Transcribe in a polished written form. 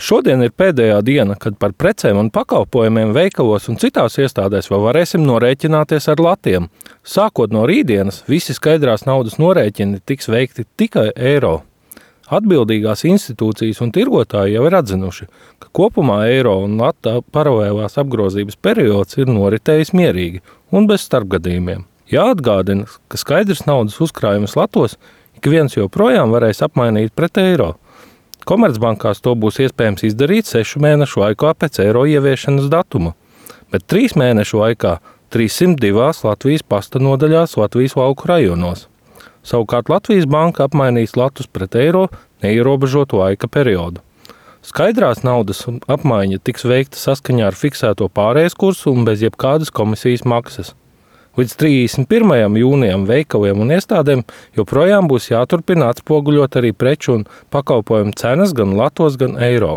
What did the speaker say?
Šodien ir pēdējā diena, kad par precēm un pakalpojumiem veikalos un citās iestādēs vēl varēsim norēķināties ar latiem. Sākot no rītdienas, visi skaidrās naudas norēķini tiks veikti tikai eiro. Atbildīgās institūcijas un tirgotāji jau ir atzinuši, ka kopumā eiro un lata paralēlās apgrozības periods ir noritējis mierīgi un bez starpgadījumiem. Jāatgādina, ka skaidrs naudas uzkrājumus latos ik viens joprojām varēs apmainīt pret eiro. Komercbankās to būs iespējams izdarīt 6 mēnešu laikā pēc eiro ieviešanas datuma, bet 3 mēnešu laikā 302 Latvijas pasta nodaļās Latvijas lauku rajonos. Savukārt Latvijas banka apmainīs latus pret eiro neierobežotu laika periodu. Skaidrās naudas apmaiņa tiks veikta saskaņā ar fiksēto pārējais kursu un bez jebkādas komisijas maksas. Līdz 31. jūnijam veikaliem un iestādēm joprojām būs jāturpina atspoguļot arī preču un pakalpojumu cenas gan latos, gan eiro.